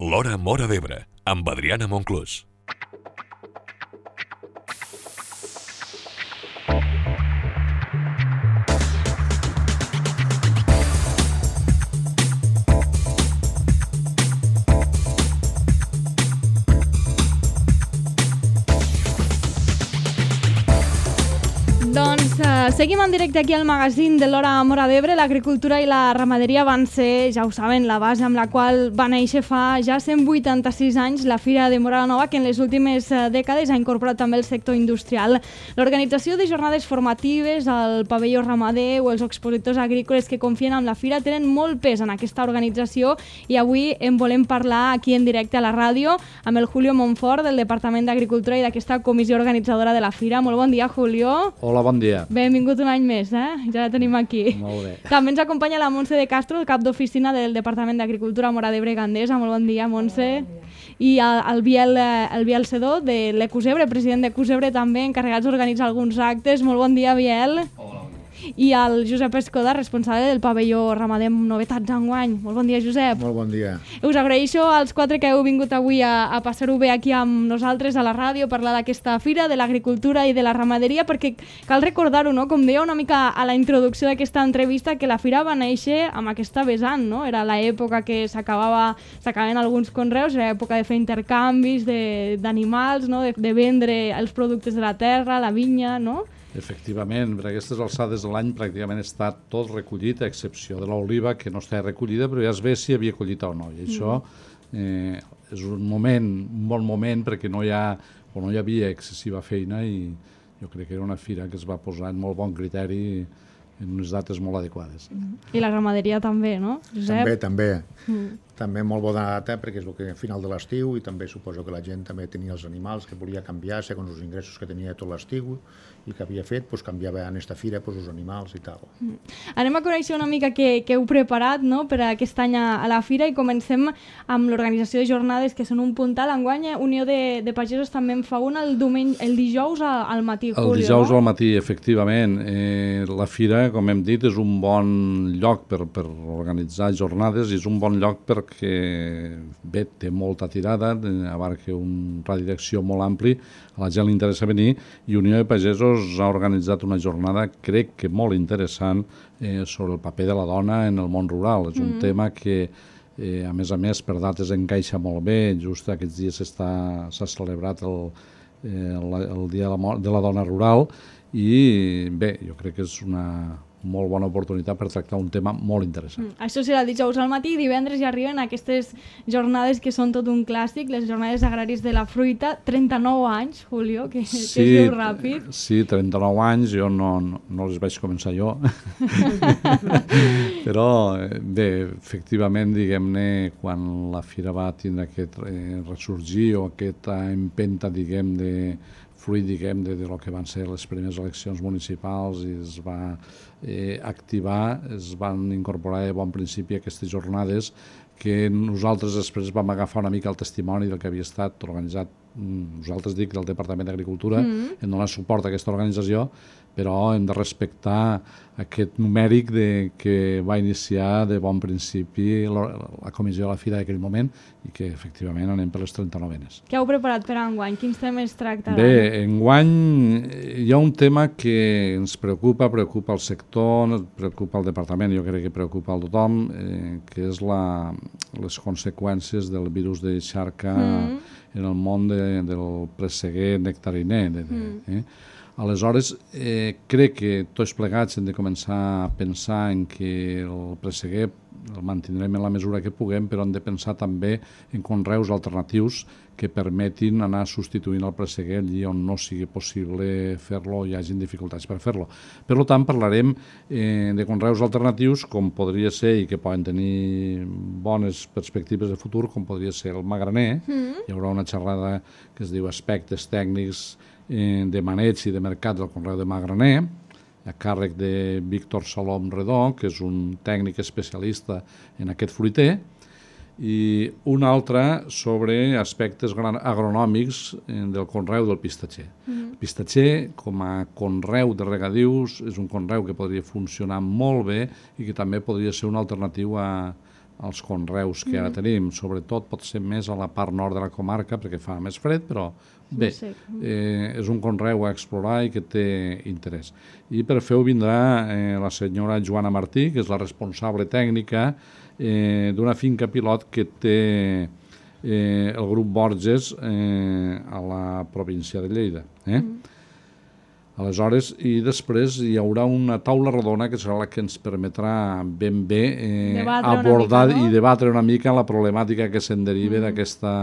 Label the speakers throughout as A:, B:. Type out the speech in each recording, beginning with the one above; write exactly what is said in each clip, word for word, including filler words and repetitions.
A: L'Hora Móra d'Ebre, amb Adriana Monclús.
B: Doncs uh, seguim en directe aquí al magazín de l'Hora Móra d'Ebre. L'agricultura i la ramaderia van ser, ja ho saben, la base amb la qual va néixer fa ja cent vuitanta-sis anys la Fira de Móra la Nova, que en les últimes uh, dècades ha incorporat també el sector industrial. L'organització de jornades formatives, el pavelló ramader o els expositors agrícoles que confien en la Fira tenen molt pes en aquesta organització i avui en volem parlar aquí en directe a la ràdio amb el Julio Monfort del Departament d'Agricultura i d'aquesta comissió organitzadora de la Fira. Molt bon dia, Julio.
C: Hola, bon dia.
B: Benvingut un any més, eh? Ja la tenim aquí.
C: Molt bé.
B: També ens acompanya la Montse de Castro, el cap d'oficina del Departament d'Agricultura Móra d'Ebre Gandesa. Molt bon dia, Montse. Bon dia. I el, el, Biel, el Biel Sedó, de l'Ecusebre, president d'Ecusebre també, encarregats d'organitzar alguns actes. Molt bon dia, Biel. Hola. I el Josep Escoda, responsable del pavelló ramader amb novetats enguany. Molt bon dia, Josep.
D: Molt bon dia.
B: Us agraeixo als quatre que heu vingut avui a, a passar-ho bé aquí amb nosaltres a la ràdio, a parlar d'aquesta fira, de l'agricultura i de la ramaderia, perquè cal recordar-ho, no? Com deia una mica a la introducció d'aquesta entrevista, que la fira va néixer amb aquesta vessant, no? Era l'època que s'acabava, s'acabaven alguns conreus, era l'època de fer intercanvis d'animals, no? de, de vendre els productes de la terra, la vinya, no?
C: Efectivament, per aquestes alçades de l'any pràcticament està tot recollit, a excepció de l'oliva, que no està recollida, però ja es ve si havia collit o no. I això eh, és un moment, un bon moment, perquè no hi ha, o no hi havia excessiva feina i jo crec que era una fira que es va posar en molt bon criteri en unes dates molt adequades.
B: I la ramaderia també, no, Josep?
D: També, també.
B: Mm.
D: També molt bona data, perquè és el que al final de l'estiu i també suposo que la gent també tenia els animals que volia canviar segons els ingressos que tenia tot l'estiu i que havia fet, doncs canviava en aquesta fira doncs, els animals i tal.
B: Mm. Anem a conèixer una mica què, què heu preparat, no?, per a aquest any a, a la fira i comencem amb l'organització de jornades que són un puntal. Enguany Unió de, de Pagesos també en fa una el, diumenge, el dijous a, al matí, Julio.
C: El dijous al matí, efectivament. Eh, la fira, com hem dit, és un bon lloc per, per organitzar jornades i és un bon lloc perquè bé, té molta tirada, abarca un radi d'acció molt ampli, a la gent li interessa venir i Unió de Pagesos ha organitzat una jornada, crec que molt interessant, eh, sobre el paper de la dona en el món rural. És un mm. tema que, eh, a més a més, per dates encaixa molt bé. Just aquests dies s'ha celebrat el, eh, el, el Dia de la, de la Dona Rural i bé, jo crec que és una molt bona oportunitat per tractar un tema molt interessant.
B: Mm. Això serà el dijous al matí i divendres ja arriben aquestes jornades que són tot un clàssic, les jornades agràries de la fruita. trenta-nou anys, Julio, que, sí, que es diu ràpid.
C: Sí, trenta-nou anys, jo no, no, no les vaig començar jo. Però bé, efectivament, diguem-ne, quan la fira va tindre aquest eh, ressorgir o aquesta empenta, diguem, de fruit, diguem, de, de lo que van ser les primeres eleccions municipals i es va eh, activar, es van incorporar de bon principi aquestes jornades que nosaltres després vam agafar una mica el testimoni del que havia estat organitzat, nosaltres dic, del Departament d'Agricultura, mm. en donar suport a aquesta organització, però hem de respectar aquest numèric de, que va iniciar de bon principi la, la comissió de la fira d'aquell moment i que efectivament anem per les trenta-novenes.
B: Què heu preparat per enguany? Quins temes tractaran?
C: Bé, enguany hi ha un tema que ens preocupa, preocupa el sector, preocupa el departament, jo crec que preocupa a tothom, eh, que és la, les conseqüències del virus de xarca mm. en el món de, del presseguer nectariner. De, de, mm. eh? Aleshores, eh, crec que tots plegats hem de començar a pensar en que el presseguer el mantindrem en la mesura que puguem, però hem de pensar també en conreus alternatius que permetin anar substituint el presseguer allí on no sigui possible fer-lo o hi hagin dificultats per fer-lo. Per tant, parlarem eh, de conreus alternatius com podria ser i que poden tenir bones perspectives de futur, com podria ser el magraner. Mm. Hi haurà una xerrada que es diu aspectes tècnics eh, de maneig i de mercat del conreu de magraner, a càrrec de Víctor Salom Redó, que és un tècnic especialista en aquest fruiter, i un altre sobre aspectes agronòmics del conreu del pistatxer. Mm-hmm. El pistatxer, com a conreu de regadius, és un conreu que podria funcionar molt bé i que també podria ser una alternativa als conreus que ara tenim, sobretot pot ser més a la part nord de la comarca perquè fa més fred, però bé, eh, és un conreu a explorar i que té interès. I per fer-ho vindrà eh, la senyora Joana Martí, que és la responsable tècnica eh, d'una finca pilot que té eh, el grup Borges eh, a la província de Lleida. Eh? Mm. Aleshores, i després hi haurà una taula rodona que serà la que ens permetrà ben bé eh, abordar mica, no? i debatre una mica la problemàtica que se'n deriva mm. d'aquesta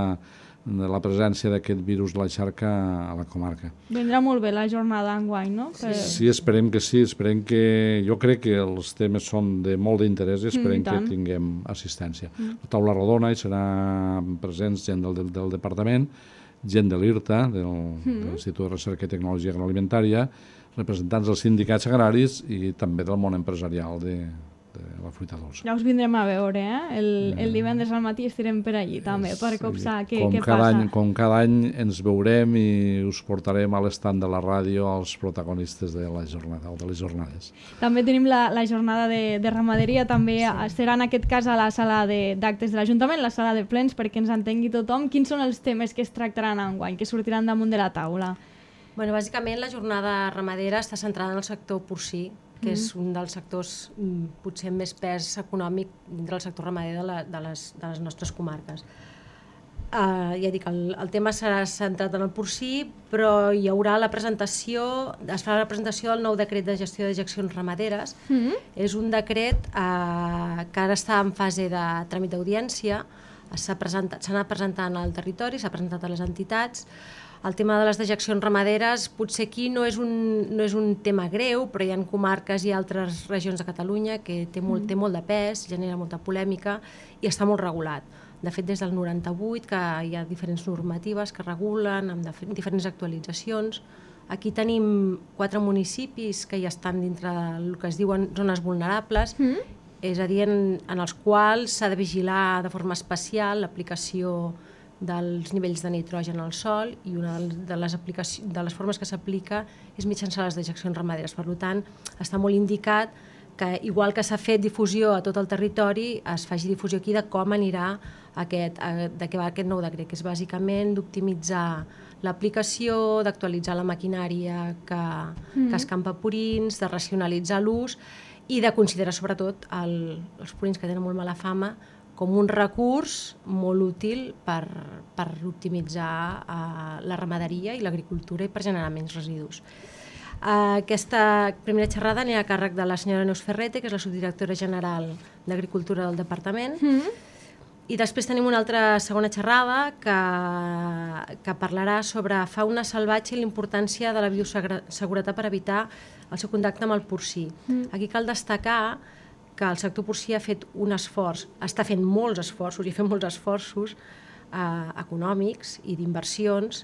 C: de la presència d'aquest virus de la xarca a la comarca.
B: Vindrà molt bé la jornada enguany, no?
C: Per... Sí, esperem que sí, esperem que... Jo crec que els temes són de molt d'interès i esperem mm, que tinguem assistència. Mm. La taula rodona hi serà presents gent del, del, del departament, gent de l'I R T A, del, mm. de l'Institut de Recerca i Tecnologia Agroalimentària, representants dels sindicats agraris i també del món empresarial de, de la fruita dolça.
B: Ja us vindrem a veure, eh? El, el divendres al matí estirem per allí també, per sí, copsar què,
C: com
B: què
C: cada
B: passa.
C: Any, com cada any ens veurem i us portarem a l'estand de la ràdio als protagonistes de la jornada o de les jornades.
B: També tenim la, la jornada de, de ramaderia, també sí. serà en aquest cas a la sala d'actes de, de l'Ajuntament, la sala de plens, perquè ens entengui tothom. Quins són els temes que es tractaran enguany, que sortiran damunt de la taula?
E: Bueno, bàsicament la jornada ramadera està centrada en el sector porcí, que mm. és un dels sectors potser amb més pes econòmic dintre del sector ramader de, la, de, les, de les nostres comarques. Uh, ja dic, el, el tema serà centrat en el porcí, però hi haurà la presentació, es farà la presentació del nou decret de gestió de dejeccions ramaderes. Mm. És un decret uh, que ara està en fase de tràmit d'audiència, s'ha anat presentant al territori, s'ha presentat a les entitats. El tema de les dejeccions ramaderes potser aquí no és un, no és un tema greu, però hi ha comarques i altres regions de Catalunya que té molt, mm. té molt de pes, genera molta polèmica i està molt regulat. De fet, des del noranta-vuit que hi ha diferents normatives que regulen amb diferents actualitzacions. Aquí tenim quatre municipis que ja estan dintre del que es diuen zones vulnerables, mm. és a dir, en, en els quals s'ha de vigilar de forma especial l'aplicació dels nivells de nitrogen al sòl i una de les, de les formes que s'aplica és mitjançant les dejeccions ramaderes. Per tant, està molt indicat que, igual que s'ha fet difusió a tot el territori, es faci difusió aquí de com anirà aquest, de què va aquest nou decret, que és bàsicament d'optimitzar l'aplicació, d'actualitzar la maquinària que, mm. que escampa purins, de racionalitzar l'ús i de considerar sobretot el, els purins que tenen molt mala fama com un recurs molt útil per, per optimitzar uh, la ramaderia i l'agricultura i per generar menys residus. Uh, aquesta primera xerrada anirà a càrrec de la senyora Neus Ferrete, que és la subdirectora general d'Agricultura del Departament, mm-hmm. i després tenim una altra segona xerrada que, que parlarà sobre fauna salvatge i l'importància de la bioseguretat per evitar el seu contacte amb el porcí. Mm. Aquí cal destacar que el sector porcí ha fet un esforç, està fent molts esforços i ha fet molts esforços eh, econòmics i d'inversions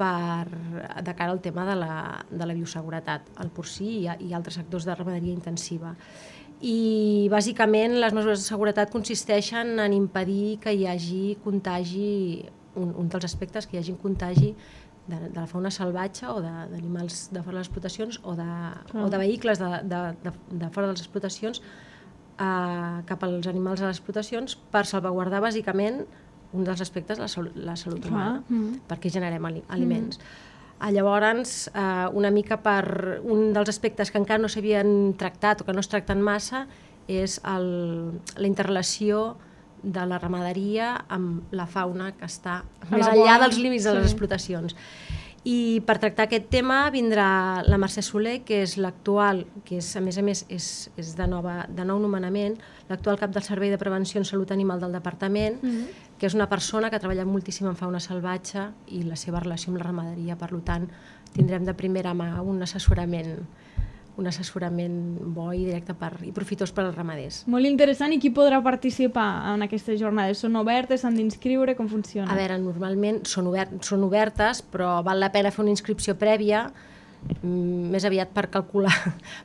E: per, de cara al tema de la, de la bioseguretat, el porcí i, i altres sectors de ramaderia intensiva. I bàsicament les mesures de seguretat consisteixen en impedir que hi hagi contagi, un, un dels aspectes, que hi hagi contagi de, de la fauna salvatge o d'animals de, de fora de les explotacions o de, oh. o de vehicles de, de, de, de fora de les explotacions Uh, cap als animals a les explotacions per salvaguardar bàsicament un dels aspectes de la, salut, la salut humana, mm. perquè generem ali aliments. Mm. Llavors, uh, una mica per un dels aspectes que encara no s'havien tractat o que no es tracten massa és el, la interrelació de la ramaderia amb la fauna que està a més enllà dels límits de les sí. explotacions. I per tractar aquest tema vindrà la Mercè Soler, que és l'actual, que és, a més a més és, és de, nova, de nou nomenament, l'actual cap del Servei de Prevenció en Salut Animal del Departament, mm-hmm. que és una persona que ha treballat moltíssim en fauna salvatge i la seva relació amb la ramaderia. Per tant, tindrem de primera mà un assessorament un assessorament bo i directe per, i profitós per als ramaders.
B: Molt interessant. I qui podrà participar en aquestes jornades? Són obertes? S'han d'inscriure? Com funciona?
E: A veure, normalment són, obert, són obertes, però val la pena fer una inscripció prèvia, mm, més aviat per calcular,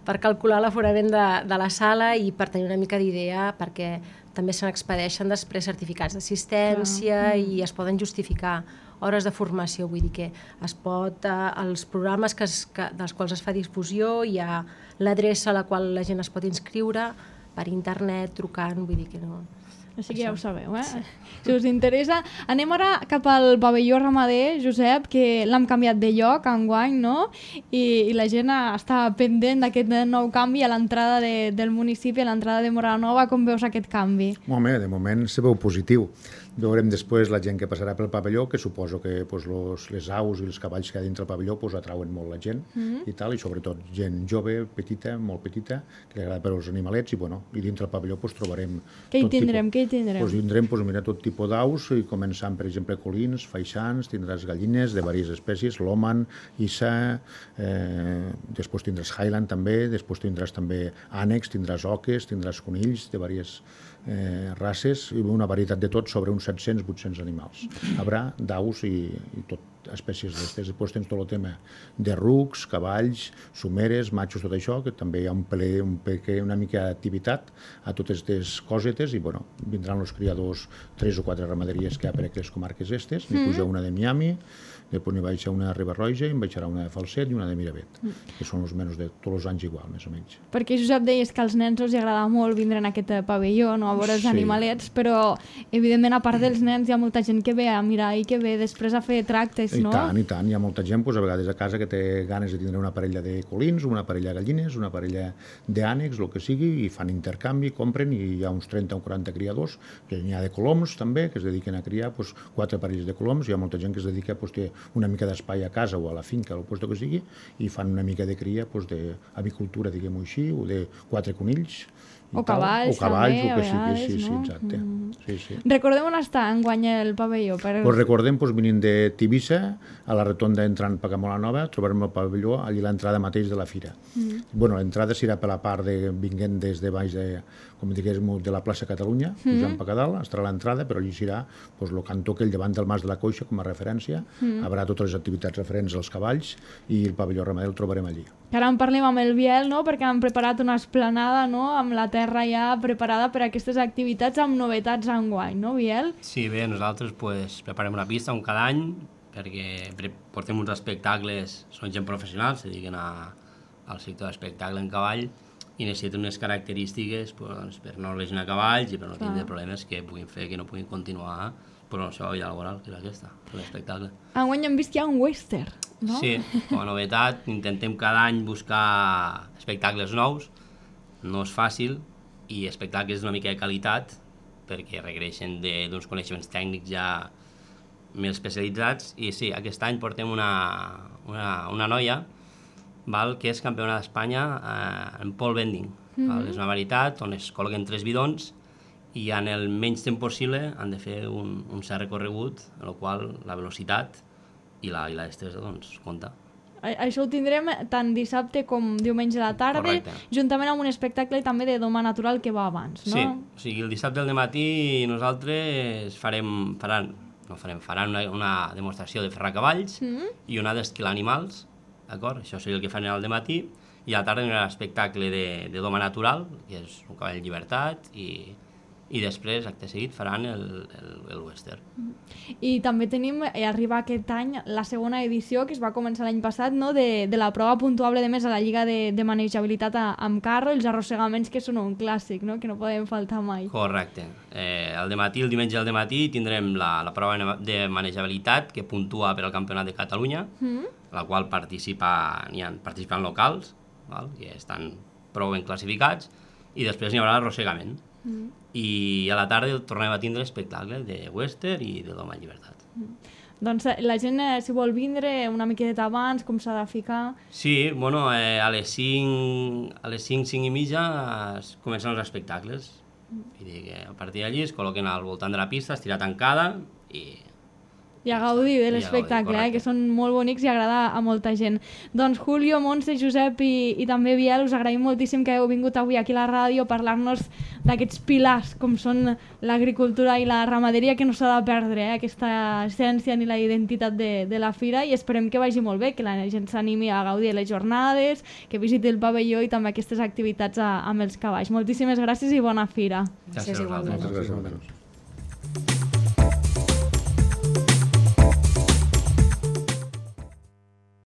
E: per calcular l'aforament de, de la sala i per tenir una mica d'idea, perquè també se n'expedeixen després certificats d'assistència ah. i es poden justificar hores de formació, vull dir que es pot, eh, els programes que es, que, dels quals es fa difusió, hi ha l'adreça a la qual la gent es pot inscriure, per internet, trucant, vull dir que no...
B: Així que ja ho sabeu, eh? Si us interessa. Anem ara cap al pavelló ramader, Josep, que l'hem canviat de lloc enguany, no? I, i la gent està pendent d'aquest nou canvi a l'entrada de, del municipi, a l'entrada de Móra la Nova. Com veus aquest canvi?
D: Home, de moment se veu positiu. Veurem després la gent que passarà pel pavelló, que suposo que pues, los, les aus i els cavalls que hi ha dintre el pavelló pues, atrauen molt la gent mm. i tal, i sobretot gent jove, petita, molt petita, que li agrada per als animalets, i, bueno, i dintre el pavelló pues, trobarem...
B: Què hi tindrem? Què hi tindrem?
D: Pues, tindrem pues, mira, tot tipus d'aus, i començant, per exemple, colins, faixans, tindràs gallines de diverses espècies, l'òman, issa, eh, després tindràs highland també, després tindràs també ànecs, tindràs oques, tindràs conills de diverses eh, races, i una varietat de tot, sobre uns set-cents a vuit-cents animals. Haurà d'aus i, i tot espècies d'estes. Després tens tot el tema de rucs, cavalls, someres, matxos, tot això, que també hi ha un ple, un peque, una mica d'activitat a totes aquestes cosetes, i bueno, vindran els criadors, tres o quatre ramaderies que hi ha per aquestes comarques estes, n'hi puja una de Miami, després n'hi baixa una de Riba-roja, i en baixarà una de Falset i una de Miravet, que són els menys de tots els anys igual, més o menys.
B: Perquè, Josep, deies que als nens els agrada molt vindre en aquest pavelló, no? A veure els sí. animalets, però, evidentment, a part dels nens, hi ha molta gent que ve a mirar i que ve després a fer tractes, no?
D: I tant, i tant. Hi ha molta gent, doncs, a vegades a casa, que té ganes de tindre una parella de colins, una parella de gallines, una parella d'ànecs, el que sigui, i fan intercanvi, compren, i hi ha uns trenta o quaranta criadors, que n'hi ha de coloms, també, que es dediquen a criar doncs, quatre parelles de coloms. Hi ha molta gent que es dedica doncs, té una mica d'espai a casa o a la finca, o al lloc que sigui, i fan una mica de cria doncs, d'avicultura, diguem-ho així, o de quatre conills,
B: o cavalls,
D: o cavalls,
B: també,
D: o que
B: a vegades,
D: sigui, sí,
B: no?
D: sí, exacte.
B: Mm.
D: Sí, sí.
B: Recordem on està enguany el pavelló. Per...
D: Pues recordem, pues, venint de Tivissa, a la rotonda entrant per Móra la Nova, trobarem el pavelló allà a l'entrada mateix de la fira. Mm. Bueno, l'entrada serà per la part de, vinguent des de baix de, com diguéssim, de la plaça Catalunya, mm. pujant per Cadal, estarà l'entrada, però allí serà pues, el cantó que el davant del Mas de la Coixa, com a referència, mm. haurà totes les activitats referents als cavalls, i el pavelló ramader el trobarem allí.
B: Ara en parlem amb el Biel, no?, perquè han preparat una esplanada, no?, amb la terra ja preparada per a aquestes activitats, amb novetats enguany, no, Biel?
F: Sí, bé, nosaltres pues, preparem una pista un cada any, perquè portem uns espectacles, són gent professional, se dediquen a, al sector d'espectacle en cavall, i necessiten unes característiques pues, per no lesionar cavalls i per no tindre problemes que puguin fer que no puguin continuar per la seva vida laboral, que és aquesta, l'espectacle.
B: Enguany hem vist que hi ha un western, no?
F: Sí, com a novetat, intentem cada any buscar espectacles nous, no és fàcil, i espectacles d'una mica de qualitat, perquè requereixen d'uns coneixements tècnics ja més especialitzats, i sí, aquest any portem una, una, una noia, val, que és campiona d'Espanya eh, en pole bending. Mm-hmm. Val? És una varietat on es col·loquen tres bidons i en el menys temps possible han de fer un, un cert recorregut, en el qual la velocitat i la, i la destresa doncs, compta.
B: Això ho tindrem tant dissabte com diumenge a la tarda, correcte, juntament amb un espectacle també de doma natural que va abans, no?
F: Sí, o sigui, el dissabte al matí nosaltres farem, faran, no farem, faran una, una demostració de ferrar cavalls mm-hmm. i una d'esquilar animals, d'acord? Això seria el que fan al matí, i a la tarda hi ha un espectacle de, de doma natural, que és un cavall llibertat, i, i després, acte seguit, faran el, el, el western.
B: I també tenim, eh, arriba aquest any, la segona edició, que es va començar l'any passat, no?, de, de la prova puntuable de més a la Lliga de, de Manejabilitat a, amb carro, els arrossegaments, que són un clàssic, no?, que no poden faltar mai.
F: Correcte. Eh, el dematí, el diumenge al dematí, tindrem la, la prova de manejabilitat, que puntua per al Campionat de Catalunya, mm. la qual participa, hi ha participants locals, val? Que estan prou ben classificats, i després hi haurà l'arrossegament. Mm. I a la tarda tornem a tindre espectacle de western i de doma en llibertat. Mm.
B: Doncs la gent, eh, si vol vindre una miqueta abans, com s'ha de ficar?
F: Sí, bueno, eh, a les cinc, a les cinc, cinc i mitja es comencen els espectacles. Mm. Vull dir que a partir d'allí es col·loquen al voltant de la pista, estirà tancada i...
B: I a gaudir de l'espectacle, eh, que són molt bonics i agrada a molta gent. Doncs Julio, Montse, Josep i, i també Biel, us agraïm moltíssim que heu vingut avui aquí a la ràdio a parlar-nos d'aquests pilars com són l'agricultura i la ramaderia, que no s'ha de perdre, eh, aquesta essència ni la identitat de, de la fira, i esperem que vagi molt bé, que la gent s'animi a gaudir de les jornades, que visiti el pavelló i també aquestes activitats a, amb els cavalls. Moltíssimes gràcies i bona fira.
F: Gràcies a vosaltres.
D: Moltes gràcies.